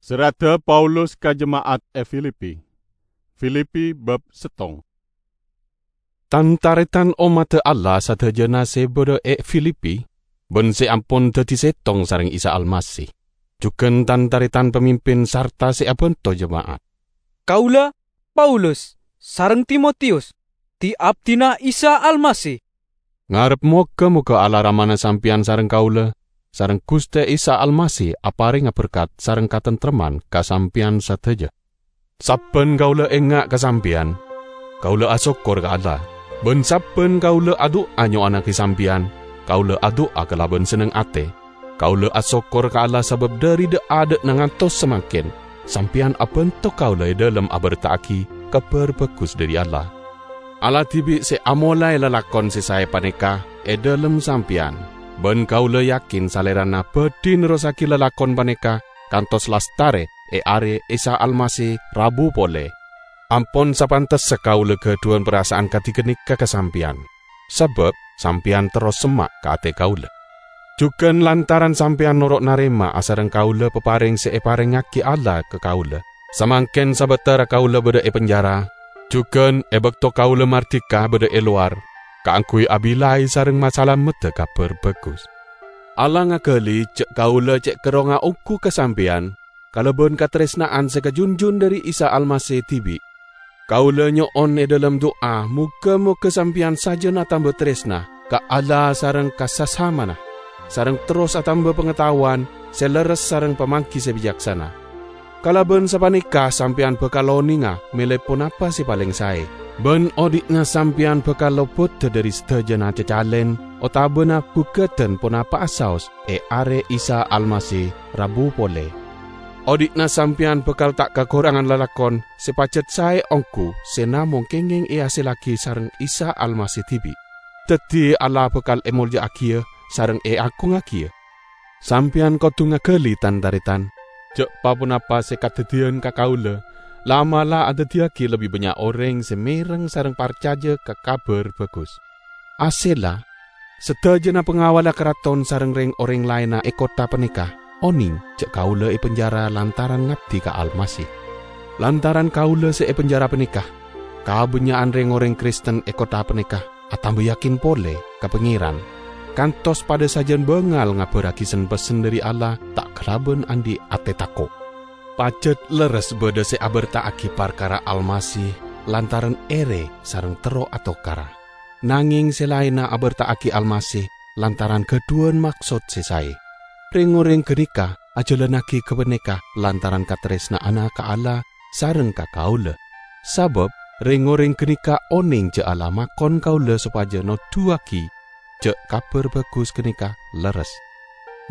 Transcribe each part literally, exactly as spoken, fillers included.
Serradda Paulus ka jema'at è Filipi. Filipi bab settong. Tan-taretan ommadda Allah sadhâjâna sè bâdâ è Filipi, bân sè ampon dhâddhi sèttong sareng Isa Almasih, jhughân tan-taretan pamimpin sarta sè abhânto jema'at. Kaulâ, Paulus, sareng Timotius, dhi-abdhina Isa Almasih, ngarep moghâ-moghâ Allah Ramana sampèyan sareng kaulâ, sareng Ghustè Isa Almasih aparènga berkat sareng katentreman ka sampèyan sadhâjâ. Sabbhân kaulâ enga' ka sampèyan, kaulâ asokkor ka Allah, bân sabbhân kaulâ adu'a nyo'onnaghi sampèyan, kaulâ adu'a kalabân senneng atè. Kaulâ asokkor ka Allah sabâb dhâri dâ'-adâ'na ngantos samangkèn, sampèyan abhânto kaulâ è dhâlem abherta'aghi Kabhâr Bhâghus dhâri Allah. Allah dhibi' sè amolaè lalakon sè saè panèka è dhâlem sampèyan, bân kaulâ yakin Salèrana bhâdhi nerrossaghi lalakon panèka kantos lastarè è arè Isa Almasih rabu polè. Ampon sapantessa kaulâ ghâdhuwân parasa'an kadhi ghânèka ka sampèyan, sabâb sampèyan terros semma' ka atè kaulâ. Jhughân lantaran sampèyan noro' narèma asareng kaulâ paparèng sè èparèngngaghi Allah ka kaulâ, samangkèn sabâtara kaulâ bâdâ è penjara, jhughân è bâkto kaulâ mardhika bâdâ è lowar, kaangghuy abilâi sareng masalameddhâ Kabhâr Bhâghus. Allah ngaghâli jhâ' kaulâ cè' kerrongnga ongghu ka sampèyan, kalabân katarèsna'an sè kajunjun dhâri Isa Almasih dhibi'. Kaulâ nyo'on è dhâlem du'a, moghâ-moghâ sampèyan sajân atamba tarèsna ka Allah sareng ka sasamana, sareng terros atamba pangataowan sè lerres sareng pamangghi sè bicaksana. Kalabân sapanèka sampèyan bhâkal onènga mèlè ponapa sè palèng saè, bân odi'na sampèyan bhâkal lobâdhâ dhâri sadhâjâna cacalèn otabâna bhughâdhân ponapa'a saos è arè Isa Almasih rabu polè. Odi'na sampèyan bhâkal ta' kakorangan lalakon sè pajhât saè ongghu sè namong kèngèng èhasèllaghi sareng Isa Almasih dhibi'. Dhâddhi Allah bhâkal èmolja'aghiyâ sareng èagungngagiyâ. Sampèyan kodhu ngaghâli, tan-tarètan, jhâ' pa-ponapa sè kadhâddhiyân ka kaulâ, la'-mala' adhâddhiyâghi lebbi bânnya' orèng sè mèreng sareng parcajâ ka Kabhâr Bhâghus. Asella, sadhâjâna pangawalla karaton sareng rèng-orèng laènna è kottha panèka onèng jhâ' kaulâ èpenjara lantaran ngabdi ka Almasih. Lantaran kaulâ sè èpenjara panèka, kabânnya'an rèng-orèng Kristen è kottha panèka atamba yakin polè ka Pangèran, kantos padâ sajân bângal ngabhârraghi sen-pessen dhâri Allah ta' kalabân andi' atè tako'. Pajhât lerres bâdâ sè abherta'aghi parkara Almasih lantaran èrè sareng terro atokara. Nangèng sè laènna abherta'aghi Almasih lantaran ghâdhuwân maksod sè saè. Rèng-orèng ghânèka ajhâlannaghi ghâpanèka lantaran katarèsna'anna ka Allah sareng ka kaulâ. Sabâb rèng-orèng ghânèka onèng jhâ' Allah makon kaulâ sopajâ noduwâghi jhâ' Kabhâr Bhâghus ghânèka lerres.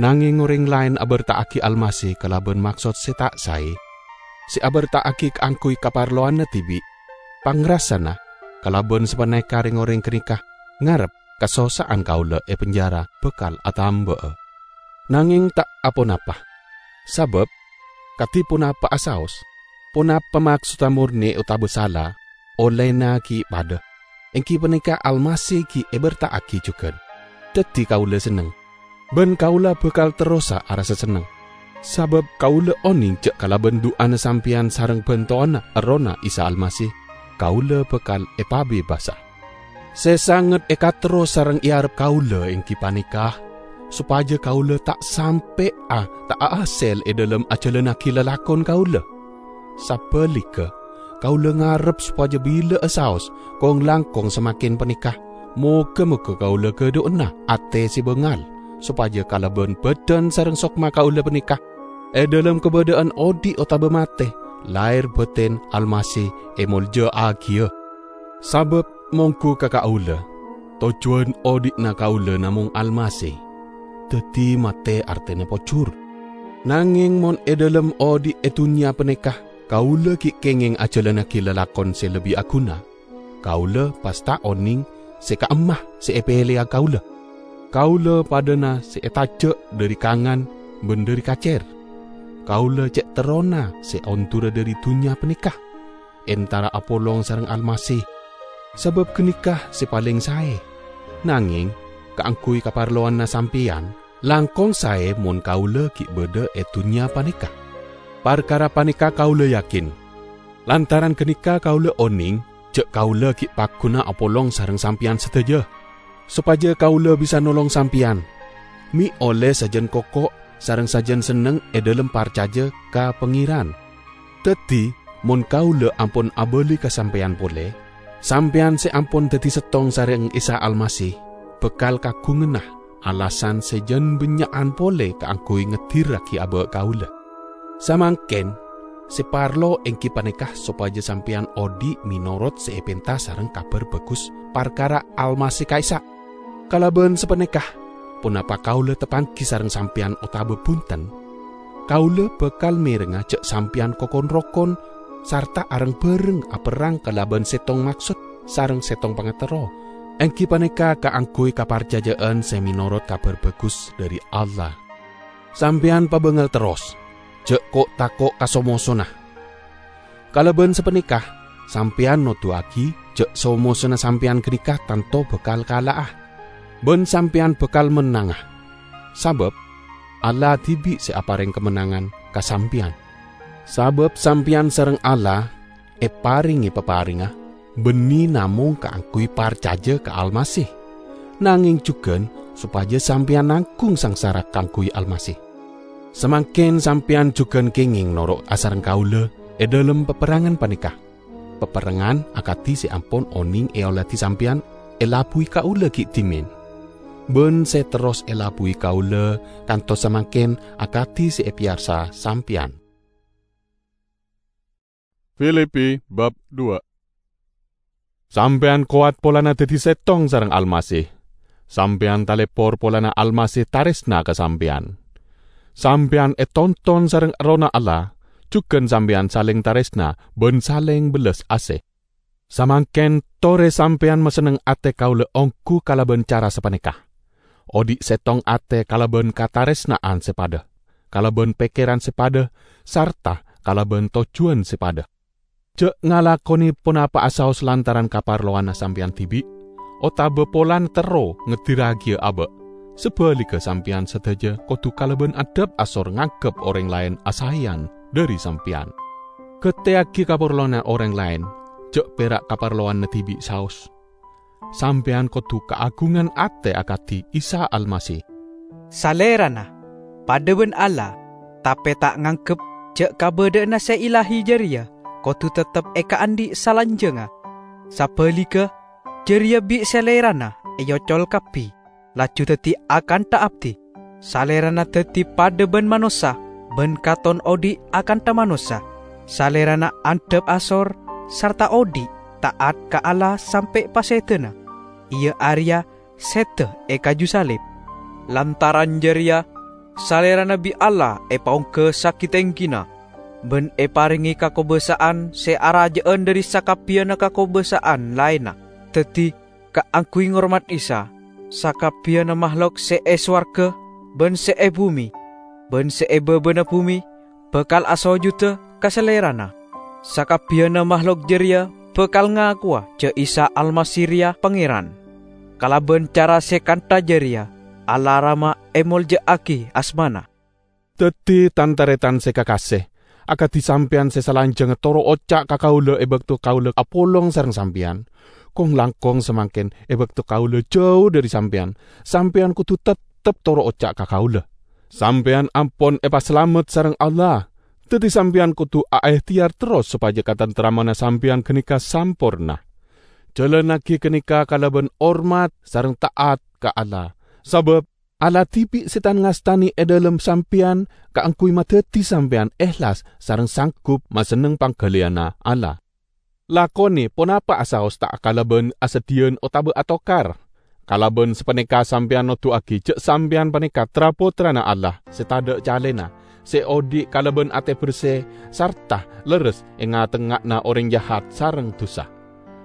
Nangèng orèng laèn abherta'aghi Almasih kalabân maksod sè ta' saè, sè abherta'aghi kaangghuy kaparlowanna dhibi'. Pangrassana kalabân sapanèka rèng-orèng ghânèka ngarep kasossa'an kaulâ è penjara bhâkal atamba'a. Nangèng ta' aponapa, sabâb, kadhi ponapa'a saos, ponapa maksodda mornè otabâ sala, ollèna ghi' padâ, èngghi panèka Almasih ghi' èberta'aghi jhughân. Dhâddhi kaulâ senneng, bân kaulâ bhâkal terrosa arassa senneng, sabâb kaulâ onèng jhâ' kalabân du'ana sampèyan sareng bhântowanna Errohna Isa Almasih, kaulâ bhâkal èpabebasa. Sè sanget èkaterro sareng èarep kaulâ èngghi panèka, sopajâ kaulâ ta' sampè'a ta' ahasèl è dhâlem ajhâlannaghi lalakon kaulâ. Sabhâligghâ, kaulâ ngarep sopajâ bilâ'â saos kong-langkong samangkèn panèka, mogâ-mogâ kaulâ ghâdhuwânna atè sè bângal, sopajâ kalabân bhâdhân sareng sokma kaulâ panèka, è dhâlem kabâdâ'ân odi' otabâ matè, lahèr bâtèn Almasih èmoljâ'aghiyâ. Sabâb mongghu ka kaulâ, tojjhuwân odi'na kaulâ namong Almasih, dhâddhi matè artèna pojhur. Nangèng mon è dhâlem odi' è dhunnya panèka kaulâ ghi' kèngèng ajhâlannaghi lalakon sè lebbi aghuna, kaulâ pas ta' onèng sè ka'imma sè èpèlèya kaulâ. Kaulâ padâna sè ètajhâ' dhâri kangan bân dhâri kacèr. Kaulâ cè' terrona sè ondhurâ dhâri dhunnya panèka, entara apolong sareng Almasih, sabâb ghânèka sè palèng saè. Nangèng, kaangghuy kaparlowanna sampèyan, langkong saè mon kaulâ ghi' bâdâ è dhunnya panèka. Parkara panèka kaulâ yakin. Lantaran ghânèka kaulâ onèng jhâ' kaulâ ghi' pagghuna apolong sareng sampèyan sadhâjâ, sopajâ kaulâ bisa nolong sampèyan, mè' ollè sajân koko' sareng sajân senneng è dhâlem parcajâ ka Pangèran. Dhâddhi, mon kaulâ ampon abâli ka sampèyan polè, sampèyan sè ampon dhâddhi sèttong sareng Isa Almasih bhâkal kaghunganna alasan sè jân bânnya'an polè kaangghuy ngeddhirraghi abâ' kaulâ. Samangkèn, sè parlo èngghi panèka sopajâ sampèyan odi' mènorot sè èpènta sareng Kabhâr Bhâghus parkara Almasih ka'issa'. Kalabân sapanèka, ponapa kaulâ tapanggi sareng sampèyan otabâ bhunten? Kaulâ bhâkal mèrengnga jhâ' sampèyan ko-, kon-rokon sarta areng-bhâreng aperrang kalabân sèttong maksod sareng sèttong pangaterro, èngghi panèka kaangghuy kaparcajâ'ân sè mènorot Kabhâr Bhâghus dhâri Allah. Sampèyan pabângal terros, jhâ' ko'-tako' ka so-mosona. Kalabân sapanèka, sampèyan noduwâghi jhâ' so-mosona sampèyan ghânèka tanto bhâkal kala'a, bân sampèyan bhâkal mennanga. Sabâb Allah dhibi' sè aparèng kamennangan ka sampèyan. Sabâb sampèyan sareng Allah èparèngè paparèngnga bânnè namong kaangghuy parcajâ ka Almasih, nangèng jhughân sopajâ sampèyan nangghung sangsara kaangghuy Almasih. Samangkèn sampèyan jhughân kèngèng noro' asareng kaulâ è dhâlem paperrangan panèka. Paperrangan akadhi sè ampon onèng èoladi sampèyan èlabuwi kaulâ ghi' dhimèn, bân sè terros èlabuwi kaulâ kantos samangkèn akadhi sè èpèyarsa sampèyan. Filipi bab dua. Sampèyan kowat polana dhâddhi sèttong sareng Almasih. Sampèyan talèpor polana Almasih tarèsna ka sampèyan. Sampèyan ètonton sareng Errohna Allah, jhughân sampèyan salèng tarèsna bân salèng bellas asè. Samangkèn torè sampèyan masenneng atè kaulâ ongghu kalabân cara sapanèka. Odi' sèttong atè kalabân katarèsna'an sè padâ, kalabân pèkkèran sè padâ, sarta kalabân tojjhuwân sè padâ. Jhâ' ngalakonè ponapa'a saos lantaran kaparlowanna sampèyan dhibi', otabâ polana terro ngeddhirragiyâ abâ'. Sabhâligghâ, sampèyan sadhâjâ kodhu kalabân adhâp asor nganggep orèng laèn asaèyan dhâri sampèyan. Ghâtèyaghi kaparlowanna orèng laèn, jhâ' pèra' kaparlowanna dhibi' saos. Sampèyan kodhu kaagungan atè akadhi Isa Almasih. Salèrana padâ bân Allah, tapè ta' nganggep jhâ' kabâdâ'ânna sè ilahi jârèya kodhu teptep èkaandhi' salanjhângnga. Sabhâligghâ, jârèya bi' Salèrana èocol kabbhi, laju dhâddhi akantha abdhi. Salèrana dhâddhi padâ bân manossa, bân katon odi' akantha manossa. Salèrana andhâp asor sarta odi' ta'at ka Allah sampè' pasèdâna, iyâ arèya sèdhâ è kaju salib. Lantaran jârèya, Salèrana bi' Allah èpaongghâsaghi tèngghina, bân èparèngè kakobâsa'an sè arajâ'ân dhâri sakabbhiyânna kakobâsa'an laènna. Dhâddhi, kaangghuy ngormat Isa, sakabbhiyânna mahlok sè è sowarghâ bân sè è bhumè, bân sè è bâbâna bhumè, bhâkal asojudhâ ka Salèrana. Sakabbhiyânna mahlok jârèya bhâkal ngakowa jhâ' Isa Almasih rèya Pangèran. Kalabân cara sè kantha jârèya, Allah Rama èmoljâ'aghi asmana. Dhâddhi, tan-tarètan sè kakasè, akadhi sampèyan sè salanjhângnga toro' oca' ka kaulâ è bâkto kaulâ apolong sareng sampèyan, kong-langkong samangkèn è bâkto kaulâ jhâu dhâri sampèyan, sampèyan kodhu teptep toro' oca' ka kaulâ. Sampèyan ampon èpasalamet sareng Allah, dhâddhi sampèyan kodhu aèhtèyar terros sopajâ katanteramanna sampèyan ghânèka samporna. Jhâlânnaghi ghânèka kalabân hormat sareng ta'at ka Allah, sabâb Allah dhibi' sè tan-ngastanè è dhâlem sampèyan kaangghuy madhâddhi sampèyan èhlas sareng sanggup masenneng pangghâliyânna Allah. Lakonè ponapa'a saos ta' kalabân asadhiyân otabâ atokar. Kalabân sapanèka sampèyan noduwâghi jhâ' sampèyan panèka tra-pottrana Allah sè tadâ' calèna, sè odi' kalabân atè bersè sarta lerres è nga-tengnga'anna orèng jahat sareng dusa.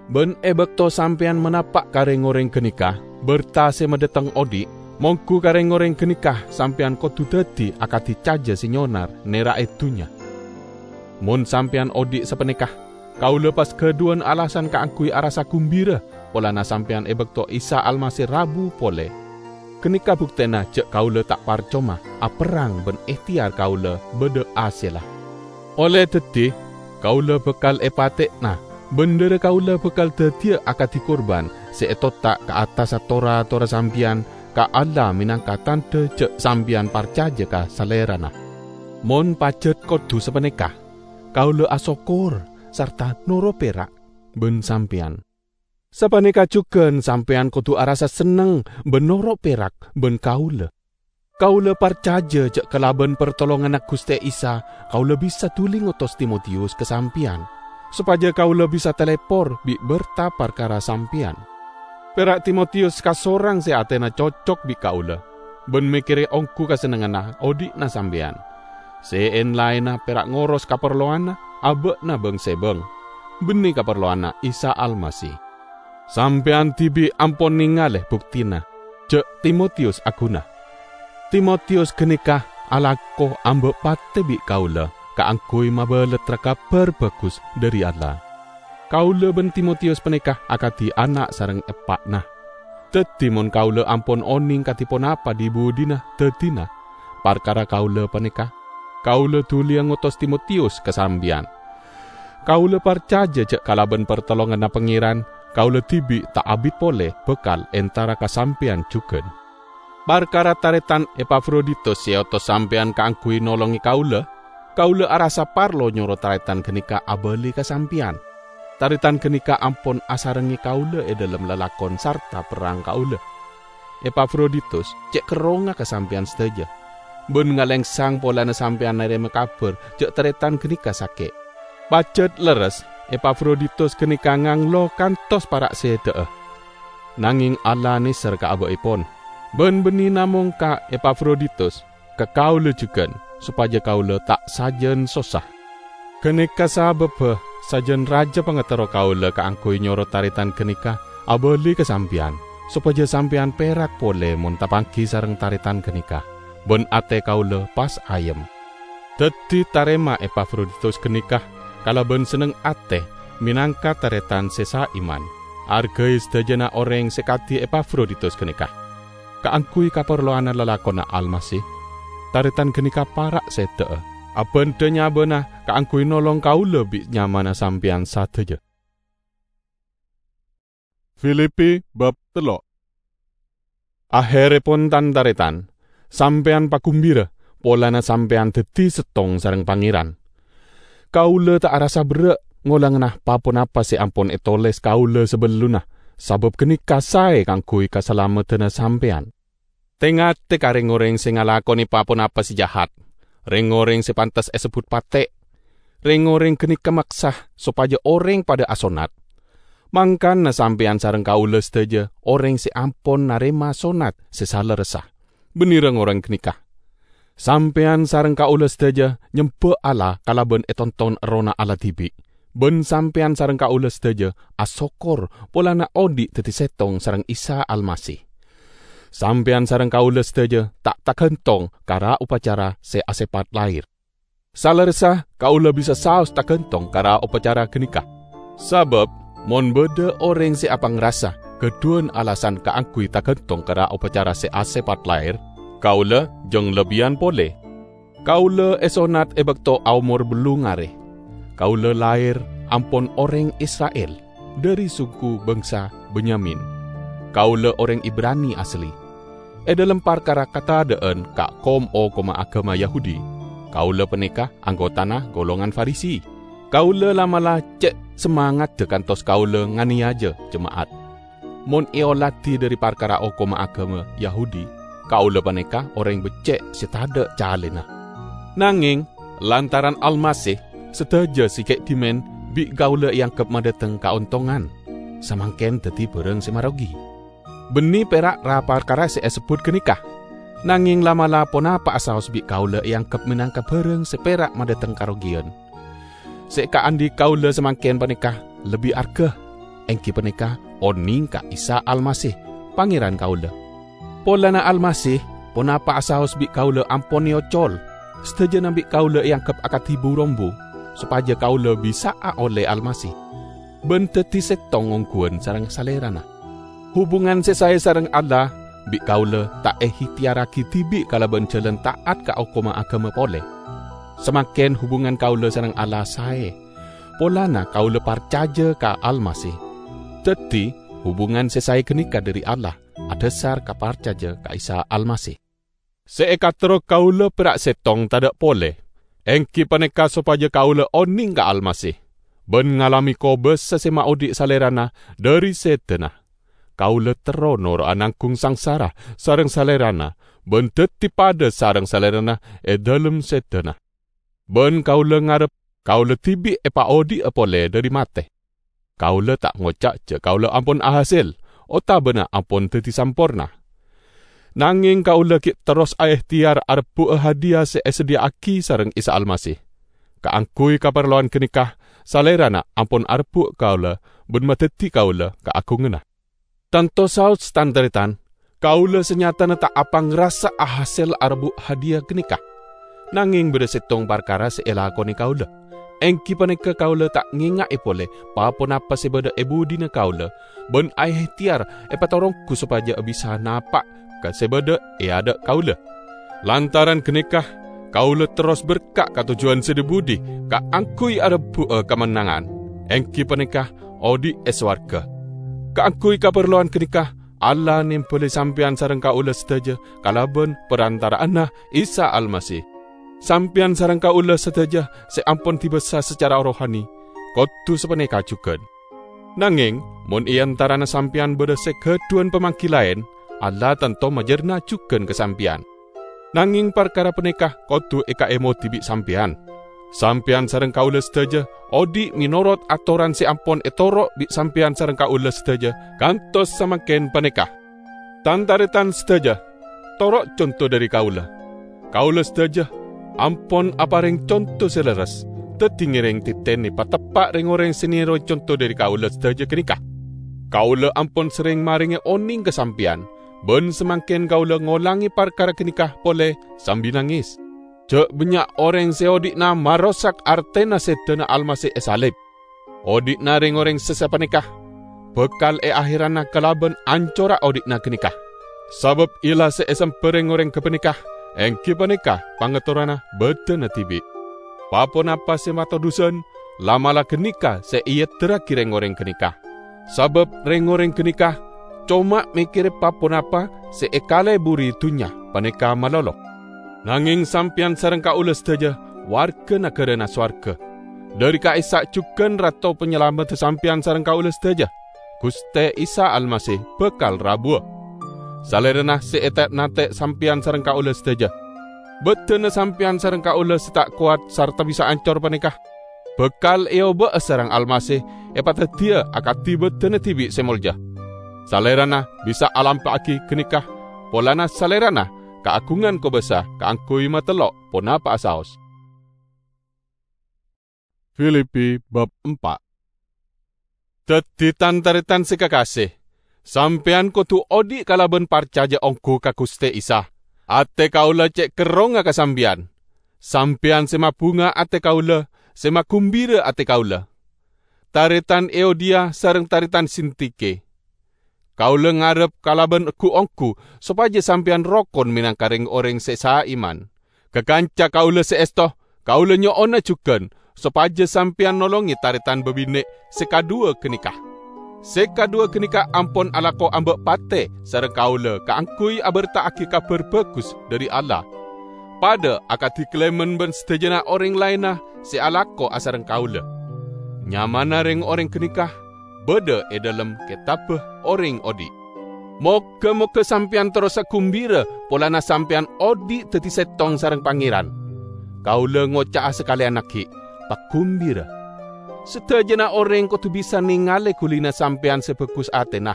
Bân è bâkto sampèyan manapa' ka rèng-orèng ghânèka bârta sè madhâteng odi', mongghu ka rèng-orèng ghânèka sampèyan kodhu dhâddhi akadhi cajâ sè nyonar nèra'è dhunnya. Mon sampèyan odi' sapanèka, kaulâ pas ghâdhuwân alasan kaangghuy arassa gumbira polana sampèyan è bâkto Isa Almasih rabu polè. Ghânèka buktèna jhâ' kaulâ ta' parcoma aperrang bân èhtèyar kaulâ bâdâ hasèlla. Olle dhâddhi, kaulâ bhâkal èpatè'ana, bân dhârâ kaulâ bhâkal dhâddhiyâ akadhi korban sè ètotta' ka attassa tor-atorra sampèyan ka Allah mènangka tandhâ jhâ' sampèyan parcajâ ka Salèrana. Mon pajhât kodhu sapanèka, kaulâ asokkor sarta noro' pèra' bân sampèyan. Sapanèka jhughân sampèyan kodhu arassa senneng bân noro' pèra' bân kaulâ. Kaulâ parcajâ jhâ' kalabân partolonganna Ghustè Isa, kaulâ bisa dhuli ngotos Timotiyus ka sampèyan, sopajâ kaulâ bisa talèpor bi' bârta parkara sampèyan. Pèra' Timotiyus kasorang sè atèna cocok bi' kaulâ, bân mèkkèrè ongghu kasennengnganna odi'na sampèyan. Sè èn-laènna pèra' ngoros kaparlowanna abâ'na bâng-sèbâng, bânnè kaparlowanna Isa Almasih. Sampèyan dhibi' ampon nèngalè buktina jhâ' Timotiyus aghuna. Timotiyus ghânèka alako amba' patè bi' kaulâ kaangghuy mabalattra Kabhâr Bhâghus dhâri Allah. Kaulâ bân Timotiyus panèka akadhi ana' sareng eppa'na. Dhâddhi, mon kaulâ ampon onèng kadhi ponapa dhi-budhina dhâddhina parkara kaulâ panèka, kaulâ dhuliyâ ngotos Timotiyus ka sampèyan. Kaulâ parcajâ jhâ' kalabân partolonganna Pangèran, kaulâ dhibi' ta' abit polè bhâkal entara ka sampèyan jhughân. Parkara tarètan Epafroditus sè èotos sampèyan kaangghuy nolongè kaulâ, kaulâ arassa parlo nyoro tarètan ghânèka abâli ka sampèyan. Tarètan ghânèka ampon asarengngè kaulâ è dhâlem lalakon sarta perrang kaulâ. Epafroditus cè' kerrongnga ka sampèyan sadhâjâ, bân ngalèngsang polana sampèyan narèma kabhâr jhâ' tarètan ghânèka sakè'. Pajhât lerres, Epafroditus ghânèka nganglo kantos para' sèdhâ'â. Nangèng Allah nèser ka abâ'èpon, bân bânnè namong ka Epafroditus, ka kaulâ jhughân, sopajâ kaulâ ta' sajân sossa. Ghânèka sabâbbhâ sajân rajâ pangaterro kaulâ kaangghuy nyoro tarètan ghânèka abâli ka sampèyan, sopajâ sampèyan pèrak polè mon tapangghi sareng tarètan ghânèka, bân atè kaulâ pas ayem. Dhâddhi, tarèma Epafroditus ghânèka kalabân senneng atè mènangka tarètan sè saiman. Arghâi sadhâjâna orèng sè kadhi Epafroditus ghânèka. Kaangghuy kaparlowanna lalakonna Almasih, tarètan ghânèka para' sèdhâ'â, abhândhâ nyabâna kaangghuy nolong kaulâ bi' nyamana sampèyan sadhâjâ. Filipi bab tello'. Ahèrèpon, tan-tarètan, sampèyan pagumbira polana sampèyan dhâddhi sèttong sareng Pangèran. Kaulâ ta' arassa berrâ' ngolangana pa-ponapa sè ampon ètolès kaulâ sabellunna, sabâb ghânèka saè kaangghuy kasalameddhânna sampèyan. Tè-ngatè ka rèng-orèng sè ngalakonè pa-ponapa sè jahat, rèng-orèng sè pantes èsebbhut patè'. Rèng-orèng ghânèka maksa sopajâ orèng padâ asonnat. Mangkana sampèyan sareng kaulâ sadhâjâ orèng sè ampon narèma sonnat sè salerressa, bânnè rèng-orèng ghânèka. Sampèyan sareng kaulâ sadhâjâ nyembâ Allah kalabân ètonton Errohna Allah dhibi', bân sampèyan sareng kaulâ sadhâjâ asokkor polana odi' dhâddhi sèttong sareng Isa Almasih. Sampèyan sareng kaulâ sadhâjâ ta' taghântong ka ra-opacara sè asèpat lahèr. Salerressa kaulâ bisa saos taghântong ka ra-opacara ghânèka. Sabâb, mon bâdâ orèng sè apangrasa ghâdhuwân alasan kaangghuy taghântong ka ra-opacara sè asèpat lahèr, kaulâ jâng labbhiyân polè. Kaulâ èsonnat è bâkto aomor bâllung arè. Kaulâ lahèr ampon orèng Isra'il, dhâri songgu bângsa Benyamin. Kaulâ orèng Ibrani asli. È dhâlem parkara katadhâ'ân ka kom-okomma aghâma Yahudi, kaulâ panèka anggotana golongan Farisi. Kaulâ la'-mala' cè' samangaddhâ kantos kaulâ nganèyaja jema'at. Mon èolatè dhâri parkara okomma aghâma Yahudi, kaulâ panèka orèng beccè' sè tadhâ' calèna. Nangèng, lantaran Almasih, sadhâjâ sè ghi' dhimèn bi' kaulâ èangghep madhâteng kaontongan, samangkèn dhâddhi bhârâng sè marogi. Bânnè pèra' ra-parkara sè èsebbhut ghânèka, nangèng la'-mala' ponapa'a saos bi' kaulâ èangghep mènangka bhârâng sè pèra' madhâteng karogiyân. Sè èkaandhi' kaulâ samangkèn panèka lebbi arghâ, èngghi panèka onèng ka Isa Almasih, Pangèran kaulâ. Polana Almasih, ponapa'a saos bi' kaulâ ampon èocol, sadhâjâna bi' kaulâ èangghep akadhi bu-rombu, sopajâ kaulâ bisa'a ollè Almasih, bân dhâddhi sèttong ongghuwân sareng Salèrana. Hubungan sè saè sareng Allah bi' kaulâ ta' èhiteyarraghi dhibi' kalabân jhâlân ta'at ka okomma aghâma polè. Samangkèn hubungan kaulâ sareng Allah saè, polana kaulâ parcajâ ka Almasih. Dhâddhi, hubungan sè saè ghânèka dhâri Allah, adhâsar ka parcajâ ka Isa Almasih. Sè èkaterro kaulâ pèra' sèttong tadâ' polè, èngghi panèka sopajâ kaulâ onèng ka Almasih, bân ngalamè kobâsa sè maodhi' Salèrana dhâri sèdhâna. Kaulâ terro noro'a nanggung sangsara sareng Salèrana, bân dhâddhi padâ sareng Salèrana è dhâlem sèdhâna. Bân kaulâ ngarep kaulâ dhibi' èpaodhi'a polè dhâri matè. Kaulâ ta' ngoca' jâ' kaulâ ampon ahasèl, otabâna ampon dhâddhi samporna. Nangèng kaulâ ghi' terros aèhtèyar arebbhu'â hadiya sè èsadhiyâ'aghi sareng Isa Almasih. Kaangghuy kaparlowan ghânèka, Salèrana ampon arebbhu' kaulâ bân madhâddhi kaulâ kaagunganna. Tanto saos, tan-tarètan, kaulâ sanyatana ta' apangrasa ahasèl arebbhu' hadiya ghânèka. Nangèng bâdâ sèttong parkara sè èlakonè kaulâ. Èngghi panèka kaulâ ta' ngènga'è polè pa-ponapa sè bâdâ è budina kaulâ, bân aèhtèyar èpataronggu sopajâ bisa napa' ka sè bâdâ è adâ' kaulâ. Lantaran ghânèka, kaulâ terros berka' ka tojjhuwân sè dhi-budhi kaangghuy arebbhu'â kamennangan, èngghi panèka odhi' è sowarghâ. Kaangghuy kaparlowan ghânèka, Allah nèmbhâlè sampèyan sareng kaulâ sadhâjâ kalabân parantara'anna Isa Almasih. Sampèyan sareng kaulâ sadhâjâ sè ampon dibâsa sacara rohani, kodhu sapanèka jhughân. Nangèng, mon è antarana sampèyan bâdâ sè ghâdhuwân pamangghi laèn, Allah tanto majârna jhughân ka sampèyan. Nangèng parkara panèka kodhu èkaèmodhi bi' sampèyan. Sampèyan sareng kaulâ sadhâjâ odhi' mènorot atoran sè ampon ètoro' bi' sampèyan sareng kaulâ sadhâjâ kantos samangkèn panèka. Tan-tarètan sadhâjâ, toro' conto dhâri kaulâ. Kaulâ sadhâjâ ampon aparèng conto sè lerres, dhâddhi ngèrèng dhâddhina pateppa' rèng-orèng sè nèroè conto dhâri kaulâ sadhâjâ ghânèka. Kaulâ ampon serrèng marèngè onèng ka sampèyan, bân samangkèn kaulâ ngolangè parkara ghânèka polè sambi nangès. Jâ' bânnya' orèng sè odhi'na marosak artèna sèdhâna Almasih èsalib. Odhi'na rèng-orèng sè sapanèka bhâkal èahèrana kalabân ancorra odhi'na ghânèka. Sabâb ella sè èsemba rèng-orèng ghâpanèka èngghi panèka pangatoranna bhâdhânna dhibi'. Pa-ponapa sè mato dhusan, la'-mala' ghânèka sè èeddhârraghi rèng-orèng ghânèka. Sabâb rèng-orèng ghânèka coma mèkkèrè pa-ponapa sè èkalèburi dhunnya panèka malolo. Nangèng sampèyan sareng kaulâ sadhâjâ warga naghârâna sowarga. Dhâri ka'issa' jhughân Rato Panyalameddhâ sampèyan sareng kaulâ sadhâjâ, Ghustè Isa Almasih bhâkal rabuwâ. Salèrana sè ète'-nante' sampèyan sareng kaulâ sadhâjâ. Bhâdhânna sampèyan sareng kaulâ sè ta' kowat sarta bisa ancor panèka bhâkal èobâ'â sareng Almasih èpadhâddhiyâ akadhi bhâdhânna dhibi' sè molja. Salèrana bisa alampa'aghi ghânèka polana Salèrana kaagungan kobâsa kaangghuy matello' ponapa'a saos. Filipi bab empa'. Dhâddhi, tan-tarètan sè kakasè, sampèyan kodhu odhi' kalabân parcajâ ongghu ka Ghustè Isa. Atè kaulâ cè' kerrongnga ka sampèyan. Sampèyan sè mabhunga atè kaulâ, sè magumbira atè kaulâ. Tarètan Euodia sareng tarètan Sintike. Kaulâ ngarep kalabân ghu-ongghu sopajâ sampèyan rokon mènangka rèng-orèng sè saiman. Ka kanca kaulâ sè èsto, kaulâ nyo'ona jhughân sopajâ sampèyan nolongè tarètan babinè' sè kadhuwâ ghânèka. Sè kadhuwâ ghânèka ampon alako amba' patè sareng kaulâ kaangghuy aberta'aghi Kabhâr Bhâghus dhâri Allah, padâ akadhi Klemens bân sadhâjâna orèng laènna sè alako asareng kaulâ. Nyamana rèng-orèng ghânèka bâdâ è dhâlem Kètabbhâ Orèng Odhi'. Moghâ-moghâ sampèyan terrosa gumbira polana sampèyan odhi' dhâddhi sèttong sareng Pangèran. Kaulâ ngoca'a sakalèyan aghi', pagumbira. Sadhâjâna orèng kodhu bisa nèngalè ghulina sampèyan sè bhâghus atèna.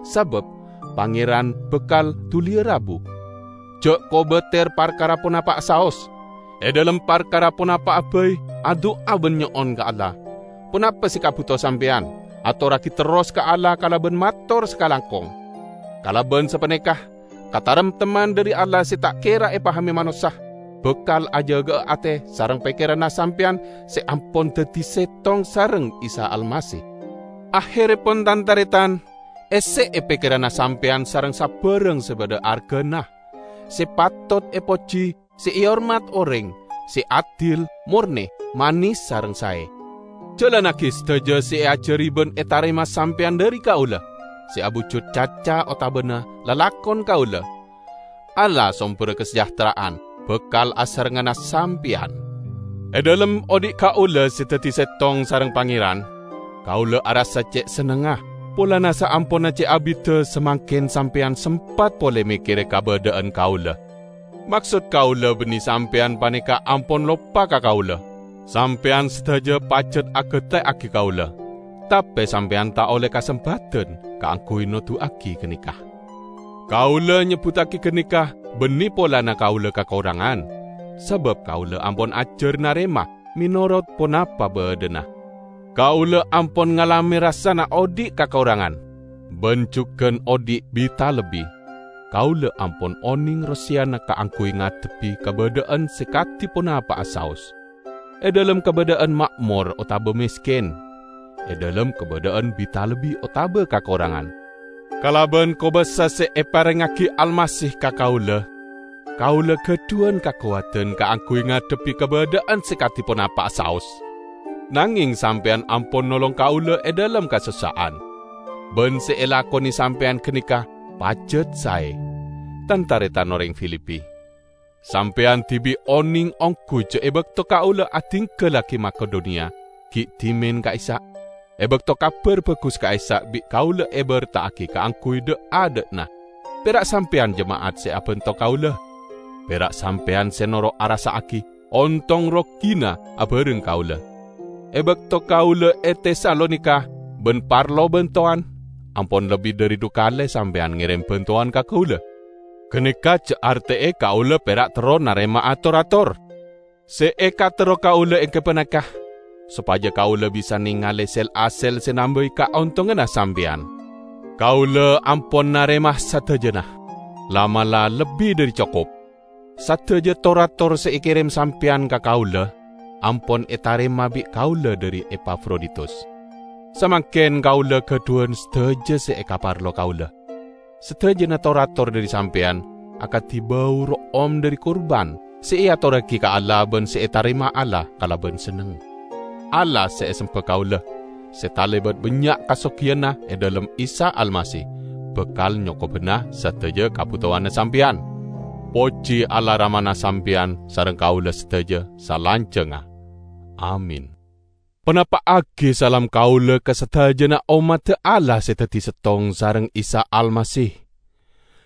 Sabâb Pangèran bhâkal dhuliyâ rabu. Jhâ' kobâtèr parkara ponapa'a saos. È dhâlem parkara ponapa'a bhâi, adu'a bân nyo'on ka Allah. Ponapa sè kabhuto sampèyan, atorraghi terros ka Allah kalabân mator sakalangkong. Kalabân sapanèka, kataremtemman dhâri Allah sè ta' kèra èpahamè manossa bhâkal ajâgâ'â atè sareng pèkkèranna sampèyan sè ampon dhâddhi sèttong sareng Isa Almasih. Ahèrèpon, tan-tarètan, èssè'è pèkkèranna sampèyan sareng sabhârâng sè bâdâ arghâna, sè patot èpojhi, sè èhormat orèng, sè adil, mornè, manis, sareng saè. Jalannaghi sadhâjâ sè èajhâri bân ètarèma sampèyan dhâri kaulâ, sè abhujud caca otabâna lalakon kaulâ. Allah, sombherra kasajahtera'an, bhâkal asarengngana sampèyan. È dhâlem odi' kaulâ sè dhâddhi sèttong sareng Pangèran, kaulâ arassa cè' sennengnga, polana saamponna cè' abiddhâ samangkèn sampèyan sempat polè mèkkèrè kabâdâ'ân kaulâ. Maksod kaulâ bânnè sampèyan panèka ampon loppa ka kaulâ. Sampèyan sadhâjâ pajhât aghâtè'aghi kaulâ, tapè sampèyan ta' ollè kasempadhân kaangghuy noduwâghi ghânèka. Kaulâ nyebbhuttaghi ghânèka bânnè polana kaulâ kakorangan, sabâb kaulâ ampon ajhâr narèma mènorot ponapa bâdâna. Kaulâ ampon ngalamè rassana odi' kakorangan, bân jhughân odi' bi-talebbi. Kaulâ ampon onèng rosèyanna kaangghuy ngadhebbhi kabâdâ'ân sè kadhi ponapa'a saos. È dhâlem kabâdâ'ân ma'mor otabâ mèskèn, è dhâlem kabâdâ'ân bi-talebbi otabâ kakorangan. Kalabân kobâsa sè èparèngngaghi Almasih ka kaulâ, kaulâ ghâdhuwân kakowadhân kaangghuy ngadhebbhi kabâdâ'ân sè kadhi ponapa'a saos. Nangèng sampèyan ampon nolong kaulâ è dhâlem kasossa'an. Bân sè èlakonè sampèyan ghânèka pajhât saè. Tan-tarètan orèng Filipi! Sampèyan dhibi' onèng ongghu jâ' è bâkto kaulâ adhingghâllaghi Makedoniya, ghi' dhimèn ka'issa'. È bâkto Kabhâr Bhâghus ka'issa' bi' kaulâ èbârta'aghi kaangghuy dâ'-adâ'na, pèra' sampèyan jema'at sè abhânto kaulâ. Pèra' sampèyan sè noro' arassa'aghi ontong rogina abhâreng kaulâ. È bâkto kaulâ è Tesalonika bân parlo bântowan, ampon lebbi dhâri dhu kalè sampèyan ngèrèm bântowan ka kaulâ. Ghânèka jâ' artè'è kaulâ pèra' terro narèma'a tor-ator. Sè èkaterro kaulâ ènggi panèka, sopajâ kaulâ bisa nèngalè sel-asel sè nambâi kaontonganna sampèyan. Kaulâ ampon narèma sadhâjâna, la'-mala' lebbi dhâri cokop. Sadhâjâ tor-ator sè èkèrèm sampèyan ka kaulâ ampon ètarèma bi' kaulâ dhâri Epafroditus. Samangkèn kaulâ ghâdhuwân sadhâjâ sè èkaparlo kaulâ. Sadhâjâna tor-ator dhâri sampèyan akadhi bâu ro'om dhâri kurban sè èatorraghi ka Allah bân sè ètarèma Allah kalabân senneng. Allah sè èsemba kaulâ, sè talèbât bânnya' kasogiyanna è dhâlem Isa Almasih, bhâkal nyokobhâna sadhâjâ kabhutowanna sampèyan. Pojhi Allah Ramana sampèyan sareng kaulâ sadhâjâ salanjhângnga. Amin. Ponapa'aghi salam kaulâ ka sadhâjâna ommadda Allah sè dhâddhi sèttong sareng Isa Almasih.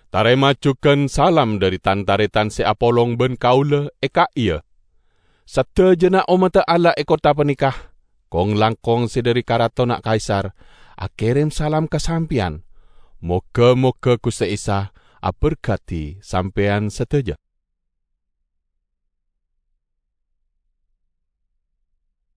Tarèma jhughân salam dhâri tan-tarètan sè apolong bân kaulâ è ka'iyâ. Sadhâjâna ommadda Allah è kottha panèka, kong-langkong sè dhâri karatonna Kaisar, akèrèm salam ka sampèyan. Moghâ-moghâ Ghustè Isa aberkadhi sampèyan sadhâjâ.